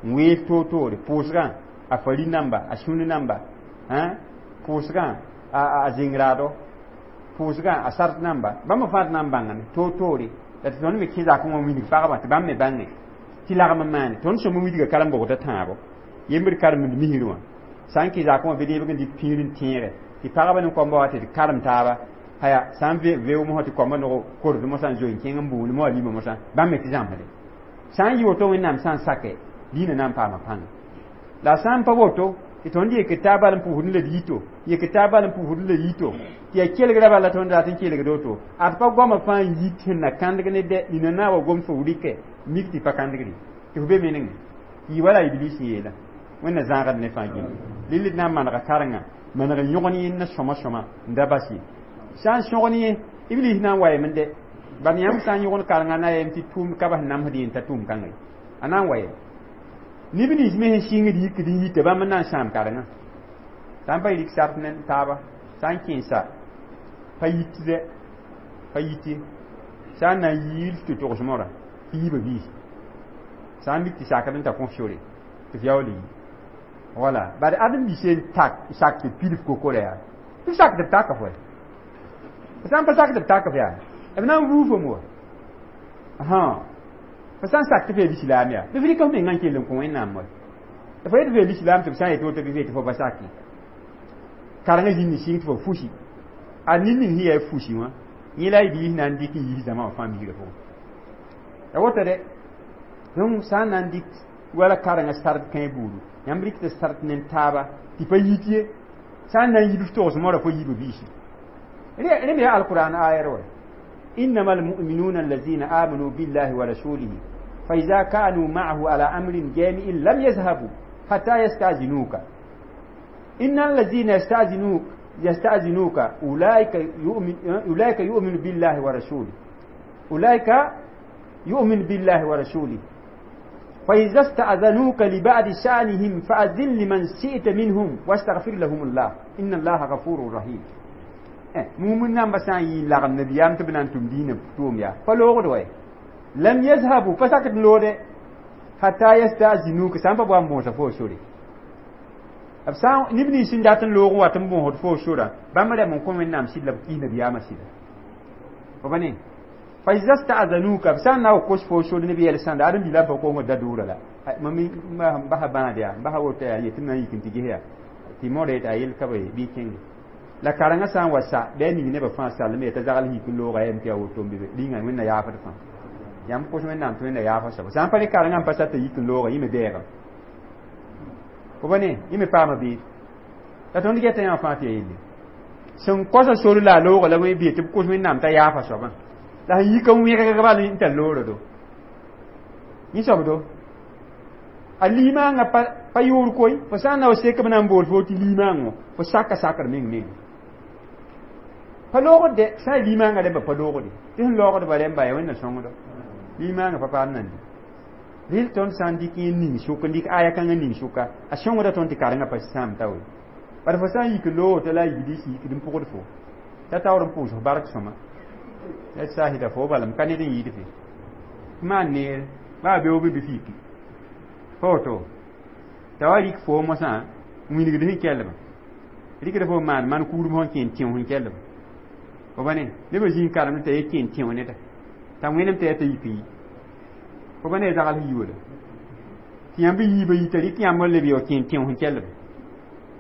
n weel toor-toore pʋʋsgã a fari namba a sũni namba pʋʋsgã a zĩng-raado pʋʋsgã a sart namba bãmba fãa d na n bãngame toor-toore la tɩ tõnd me kẽ zakẽ wã wilg pagba tɩ bãmb me bãnge tɩ lagm n maane tõnd sõm n wilga karem-bogda tãabo yembd karemd misr wã sã n kẽ zakẽ wã bɩ deebg n dɩk pĩir n tẽege tɩ pagba ne koamba wa tɩ d karem taaba haya sã n veo mosã tɩ koamba nog kord mosã n zoe n kẽng n buund mo a lima mosã bãmb me tɩ zãmsde sã n yɩ woto Wẽnnaam sã n sake dĩinã na n paama pãnga la sã n pa woto tɩ tõnd yek taab bal n pʋʋsd la d yito yek taab bal n pʋʋsd la yito tɩ yaa kelgra bala tõnd rat n kelgd woto ad pa goamã fãa n yit sẽn na kãndg ne dɛ nina na wa gom fo rɩkɛ mik tɩ pa kãndgre tɩ fo be menengẽ yɩ wala iblis sẽn yeela Wẽnna zãagd ne fãa gilli lill d na n manega karengã maneg n yõgen yẽnna sõma sõma n da bas ye sã n sõgen yẽ iblis na n wa yem dɛ bal yãmb sã n yõgen karengã na yem tɩ tʋʋmd ka bas namsd yẽn t'a tʋʋm kãngã a na n wa yem neb nins me sẽn sɩngd yikd n yita bãmb n na n sãam karengã sã n pa rik sart ne taaba sã n kẽesa pa yit dɛ pa yit ye sã n na n yiil tɩ togs mora tɩ yiibã biis sã n mik tɩ sakd n ta kõ sore tɩ f yaool yi Wala bari ad n bi sẽn tak sak tɩ pilf kokore yaa tɩ sak tɩ b taka fo sã n pa sak tɩ b tak f yaa b na n ruu fom wa fo sã n sak tɩ f yaa lislaam yaa bɩ f rɩk f mengã n kell n kõ Wẽnnaam wa fo yet f yaa lislaam tɩ b sã n yet woto bɩ tɩ fo pa sake karengã zĩnd n sɩng tɩ fo fusi a ned ning sẽn yaa fusi wã yẽ la y biis na n dɩk n yis zãma wã fãa misrã pʋgẽ ya woto de donc sã n na n dɩk wala karengã sard kãe buudu yãmb rɩk tɩ sard ne taaba tɩ pa yit ye sã n na n yib f togs moora fo yiibã biisi rẽ me yaa alquran ayar wa إنما المؤمنون الذين آمنوا بالله ورسوله فإذا كانوا معه على أمر جامع لم يذهبوا حتى يستأذنوك إن الذين يستأذنوك يستأذنوك أولئك يؤمن أولئك يؤمن بالله ورسوله أولئك يؤمن بالله ورسوله فإذا استأذنوك لبعض شأنهم فأذن لمن شئت منهم واستغفر لهم الله إن الله غفور رحيم mumin namba sã n yɩ n lagem nabiyaam tɩ b na n tʋm diinã tʋʋm yaa pa loogd wɛ لم يذهبوا pa sak n loode حتى يستأذنوك sã n pa bʋa n bõosa fo sore b sã neb nins sẽn dat n loog n wat n bõosd fo sora bãmb rɛm n kõ Wẽnnaam sɩd la b kis nabiyaamã sɩda fo pa ne فإذا استأذنوك b sã n na wa kos fo sore ne b yɛl sãnda ad n bila pa kongd da dʋʋra la mam basa bãad yaa basa woto yaa yetɩ m na n yik n tɩ ges yaa tɩ modã yetɩ a yel ka bɩ kẽnge la karengã sã n wa sa bɩ a ning nebã fãa sallame t'a zagl yik n looga yam tɩ yaa woto n be rĩnga Wẽnna yaafd fãa yãmb kos Wẽnnaam tɩ Wẽnna yaafa soaba sã n pa ne karengã n pa sa t'a yik n looga yẽ me bɛɛgame fo pa ne yẽ me paama beed la tõnd geta yã fãa tɩ yaa yelle sẽn kosa sor la a looga la wẽ bee tɩ b kos Wẽnnaam t'a yaafa soabã la sẽn yik n wẽgg bal n tar loora do yẽ soab do a limaangã pa pa yʋʋr koe fo sã n na wa sek b na n bool fo tɩ limaangõ fo saka sakr meng meng pa loogd de sã n limaangã rẽmba pa loogde tɩ sẽn loogdba rẽmba yaa Wẽnna sõngdo limaangã pa paam nan di rel tõnd sã n dɩk yẽ ning sʋk n dɩk aya kãngã ning sʋka a sõngda tõnd tɩ karengã pa sãam ta we bala fo sã n yik loog t'a la a yiblis yikd n pʋgd fo t'a taoor n pʋʋs f bark sõma ya sahida fo bala m ka ned n yɩɩd fe maan neer baa beoog bɩ fiki pa woto t'a wa rɩk fo mosã n wilgd sẽn kellbã rɩkda fo maan man kuudum sẽn kẽ n tẽo sẽn kellbã fo pa ne nebã zĩ n karemd t'a ye kẽ n tẽo neda t'a wẽnem t'a yaa t'a yik n yi fo pa ne zagl sẽn yi wala tɩ yãmb yiibã yita rɩk yãmb n leb ya kẽ n tẽo sẽn kellbã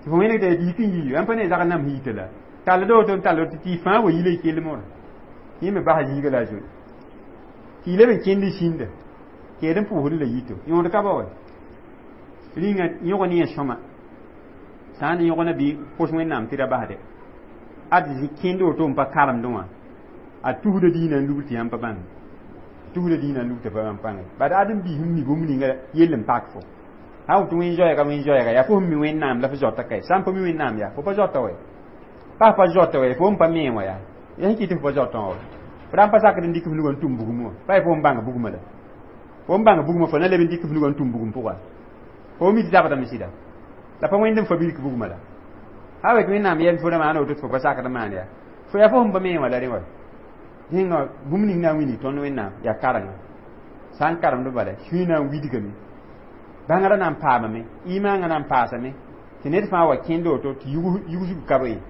tɩ fo wẽneg t'a yik n yi yãmb pa ne zagl nam sẽn yita la tall woto n tall tɩ tɩ fãa wa yila y kell moora yẽ me basa zĩiga la a zoe tɩ y leb n kẽnd sĩnda keed n pʋʋsd la yito yõod ka ba wa rĩnga yõg ne yẽ sõma sã n yõg na bɩ kos Wẽnnaam tɩ ra basde ad kẽnd woto n pa karemdẽ wã a tusda dĩinã n lubl tɩ yãmb pa bãng tusda dĩinã n lubl tɩ pa bãmb pãnge bad ad n biis n mi bũmb ninga yell n pak fo sã woto wẽn zoɛɛga wẽn zoɛɛga yaa fo sẽn mi Wẽnnaam la fo zoata kae sã n pa mi Wẽnnaam yaa fo pa zoata wɛ pa pa zoata wɛ fo n pa me wã yaa ya sẽn kɩ tɩ fo pa zoatã wã fo ra n pa sakd n dɩk f nugã n tũm bugum wã pa fo n bãng bugmã la fo n bãng bugmã fo na leb n dɩk f nugã n tũm bugum pʋga fo mi tɩ zabdame sɩda la pa wẽnd n fa bilk bugmã la ha wet Wẽnnaam yɛl fo ra maana woto tɩ fo pa sakd n maan yaa fo yaa fo sẽn pa me wã la rẽ wa rẽnga bũmb ning na n wilg tõnd Wẽnnaam yaa karenga sã n karemd bala sũy na n widgame bãngrã na n paamame imaangã na n paasame tɩ ned fãa wa kẽnd woto tɩ yugsg ka be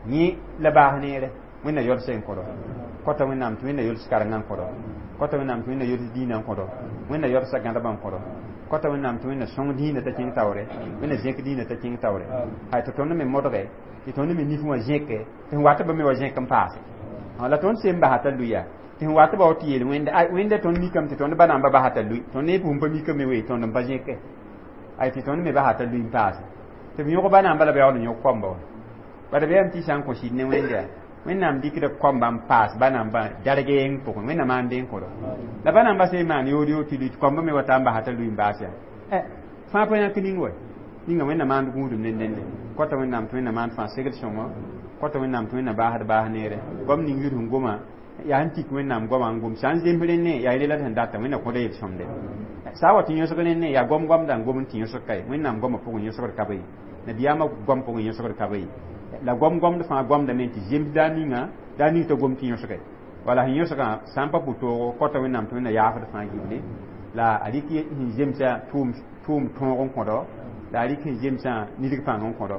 yẽ la baas neere Wẽnna yols n kõdo kota Wẽnnaam tɩ Wẽnna yols karengã n kõdo kota Wẽnnaam tɩ Wẽnna yols dĩinã n kõdo Wẽnna yolsa gãdbã n kõdo kota Wẽnnaam tɩ Wẽnna sõng dĩinã t'a kẽng taoore Wẽnna zẽk dĩinã t'a kẽng taoore hay tɩ tõnd me modge tɩ tõnd me nif wã zẽke tɩ sẽn wat ba me wa zẽk n paase la tõnd sem basa t'a luya tɩ sẽn wat ba tɩ yeel Wẽnda ay Wẽnda tõnd mikame tɩ tõnd ba namba basa t'a lui tõnd ne pʋʋm pa mikame we tõnd n pa zẽke ay tɩ tõnd me basa t'a lui n paase tɩ b yõg ba namba la b yaool n yõg koamba wa bala bɩ yam tɩ sã n kõ sɩd ne Wẽnda yaa Wẽnnaam dɩkda koamba n paas ba namba darg yeng pʋgẽ Wẽnna maan dẽn kõdo la ba namba sẽn maan yood yood tɩ lui tɩ koamba me wa ta n basa t'a lui n baas yaa fãa pa yãk ning wa ninga Wẽnna maand gũudum ne dẽnde kota Wẽnnaam tɩ Wẽnna maand fãa segd sõngo kota Wẽnnaam tɩ Wẽnna baasd baas neere goam ning yʋd sẽn goma yaa sẽn tik Wẽnnaam goama n gom sã n zems rẽnne yaa rela sẽn data Wẽnna kõda yel-sõmde sã n wa tɩ yõsg rẽnne yaa goam goamda n gom n tɩ yõsg kae Wẽnnaam goamã pʋgẽ yõsgd ka be nabiyaamã goam pʋgẽ yõsgd ka be la goam goamd fãa goamdame tɩ zems daa ninga daa ning t'a gom tɩ yõsge wala sẽn yõsgã sã n pa pʋ toogo kota Wẽnnaam tɩ Wẽnna yaafd fãa gilli la a rɩk sẽn zemsa tʋʋm tʋʋm tõog n kõdo La a rɩk sẽn zemsã nidg pãng n kõdo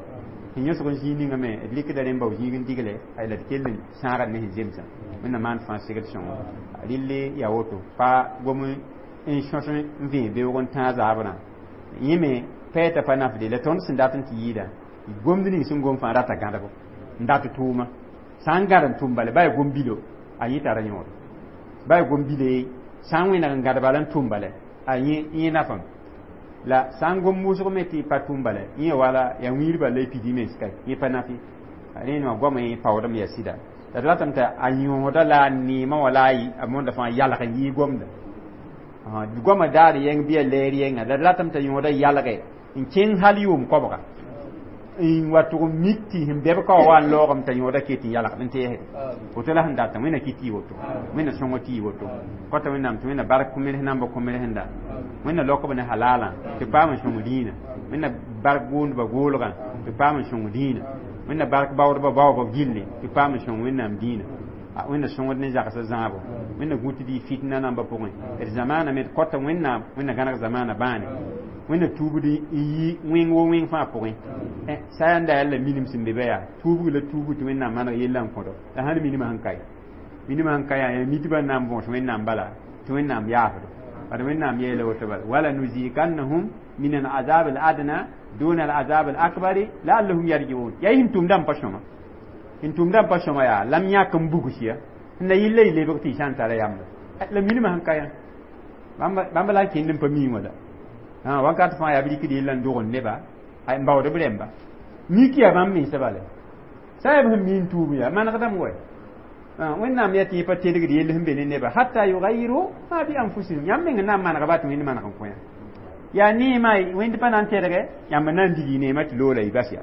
sẽn yõsg n zĩig ninga me d rɩkda rẽmba zĩig n digle ay la d kell n sãagd ne sẽn zemsã wẽnna maan fãa segd sõngo rɩlle yaa woto pa gom n sõs n vẽ beoog n tãag zaabrã yẽ me pɛɛta pa nafde la tõnd sẽn dat n tɩ yɩɩda gomd ning sẽn gom fãa rata gãdbo n dat tʋʋma sã n gãd n tʋm bale ba yaa gom bilo a yẽ tara yõod ba yaa gom bile sã n wẽneg n gãd bala n tʋm bale a yẽ yẽ nafame la sã n gom wʋsg me tɩ pa tʋm bala yẽ wala yaa wĩir bala y pidi mens ka yẽ pa nafe rẽnd wã goamã yẽ paoodame yaa sɩda la d ratame tɩ a yõoda la a neemã wã la a mõnda fãa yalg n yɩɩ gomda goamã daar yɛng bɩ a lɛɛr yɛnga la d ratame t'a yõoda yalge n kẽng hal yʋʋm koabga n wa tʋg n mik tɩ sẽn bɛb ka wa wa n loogame t'a yõoda ket n yalgd n teesde woto la sẽn datã wẽnna kɩ tɩ y woto wẽnna sõngo tɩ y woto kõta wẽnnaam tɩ wẽnna bark kõ-mels namba kõ-mels sẽnda wẽnna laok b ne halalã tɩ paam n sõng dĩinã wẽnna bark goondbã goolgã tɩ paam n sõng dĩinã wẽnna bark baoodbã baoobã gilli tɩ paam n sõng wẽnnaam dĩinã wẽnna sõngd ne zagsã zãabo wẽnna gũ tɩ dɩ fitna nambã pʋgẽ d zamaana me d kõta wẽnnaam wẽnna gãneg zamaana bãane wẽnna tuubd n yi wẽng wo wẽng fãa pʋgẽ sayanda yaa la minim sẽn be ba yaa tuubg la tuubg tɩ wẽnnaam maneg yella n kõdo la sãn minimã sẽn kae minimã sẽn ka yaa yaa mitbã n na n võos wẽnnaam bala tɩ wẽnnaam yaafdo bad wẽnnaam yeela woto bala wala nuzikannahum min alazab aladna duna alazab alakbari laallahum yarjiun yaa sẽn tʋmdã n pa sõma sẽn tʋmdã n pa sõma yaa lam yãk n bugs ya n la yilla y lebg tɩ y sã n tara yamba la minimã sẽn ka yã bãmba la n kẽnd n pa mii wã la wakat fãa yaa b rɩkd yella n dog n neba n baood b rẽmba mik yaa bãmb mensã bala sã yaa b sẽn mi n tuub yaa manegdame wa wẽnnaam yaa tɩ yẽ pa tedgd yell sẽn be ne neba hatta yugayiru ma bi anfusihim yãmb meng n na n manega ba tɩ wẽnd maneg n kõ yã yaa neemã wẽnd pa na n tedge yãmb n na n dig neemã tɩ loola y bas ya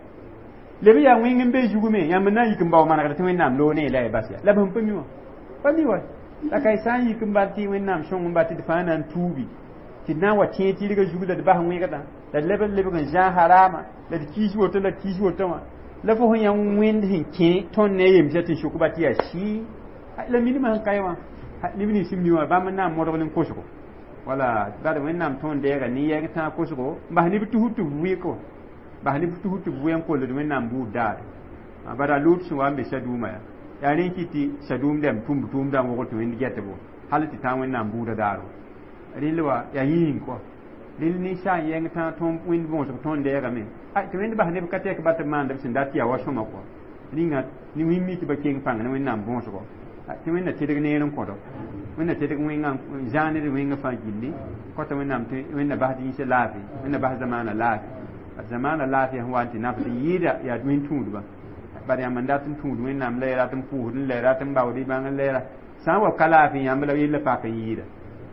leb yaa wẽng n be zugme yãmb n na n yik n bao manegd tɩ wẽnnaam loog ne la y bas ya la b sẽn pa mi wã pa mi wa la ka y sã n yik n bal tɩ wẽnnaam sõng n ba tɩ d fãa na n tuubi tɩ d na n wa tẽeg tɩrgã zug la d bas wẽgdã la d leb n lebg n zãag harama la d kiis woto la d kiis woto wã la fo sẽn yã wẽnd sẽn kẽ tõnd ne a yemsã tɩ sʋk ba tɩ yaa sɩɩ la minimã sẽn kae wã neb nins sẽn mi wã bãmb n na n modg ne kosgo wala bad wẽnnaam tõnd deega ne yɛng tãag kosgo n bas neb tusd tɩ b wɩk bas neb tusd tɩ b wɩ n koled wẽnnaam buud daare bara lut sẽn wa n be sadũumã yaa yaa rẽ kɩ tɩ sadũum dɛm tũmb tʋʋmdã n wogl tɩ wẽnd gɛtbo hal tɩ tãag wẽnnaam buudã daaro rɩl wa yaa yĩng kɔ rɩl ninsaal yɛng tãag tõnd wẽnd võosg tõnd deegame tɩ wẽnd bas neb ka tɛk ba tɩ b maand b sẽn dat yaa wa sõma kɔ rĩnga ne wĩm mi tɩ ba keng pãng ne wẽnnaam võosgo tɩ wẽnna tedg neer n kõdo wẽnna tedg wẽngã zãag ned wẽngã fãa gilli kõta wẽnnaam tɩ wẽnna bas dĩnsã laafɩ wẽnna bas zamaana laafɩ zamaana laafɩ sẽn wa n tɩ nafd n yɩɩda yaa wẽn tũudba bad yãmb n dat n tũud wẽnnaam la y rat n pʋʋsd n la rat n baood y bãng n lɛɛra sã n wa ka laafɩ yãmb la yella pak n yɩɩda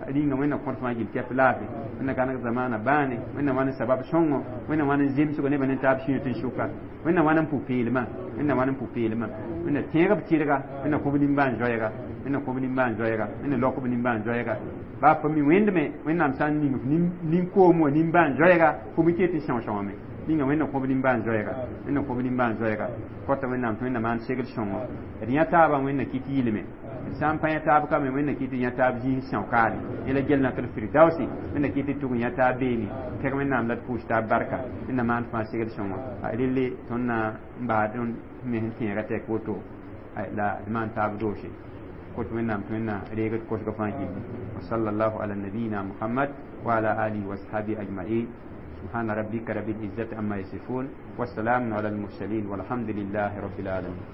rĩnga wẽnna kõt fãa gil kɛp laafɩ wẽnna gãneg zamaana bãane wẽnna wãn n sabab sõngo wẽnna wãn n zemsgo nebã ne taab sũyã tɩ n sʋka wẽnna wãn n pʋ-peelmã wẽnna wãn n pʋ-peelmã wẽnna tẽeg b tɩrga wẽnna kõ b nimbãan-zoɛɛga wẽnna kõ b nimbãan-zoɛɛga wẽnna laok b nimbãan-zoɛɛga baa pa mi wẽndme wẽnnaam sã n ning f nin-koom wã nimbãan-zoɛɛga fo me ket n sõs-sõngame ninga wẽnna kõ b nimbãan-zoɛɛga wẽnna kõ b nimbãan-zoɛɛga kõta wẽnnaam tɩ wẽnna maan segd sõngo d yã taabã wẽnna kɩt yɩlme d sã n pa yã taab kame wẽnna kɩt yã taab zĩis sãokaare yẽ la gel natr firdausi wẽnna kɩt tɩ tʋg yã taab beene kɛg wẽnnaam la d pʋʋs taab barka wẽnna maan fãa segd sõngo relle tõnd na n baa tõnd me sẽn tẽega tɛk woto la d maan taab doose kot wẽnnaam tɩ wẽnna reegd kosgã fãa gilli wa sallallahu ala nabiyina muhammad wa ala alihi wa ashabi ajma'in سبحان ربك رب العزة عما يصفون والسلام على المرسلين والحمد لله رب العالمين.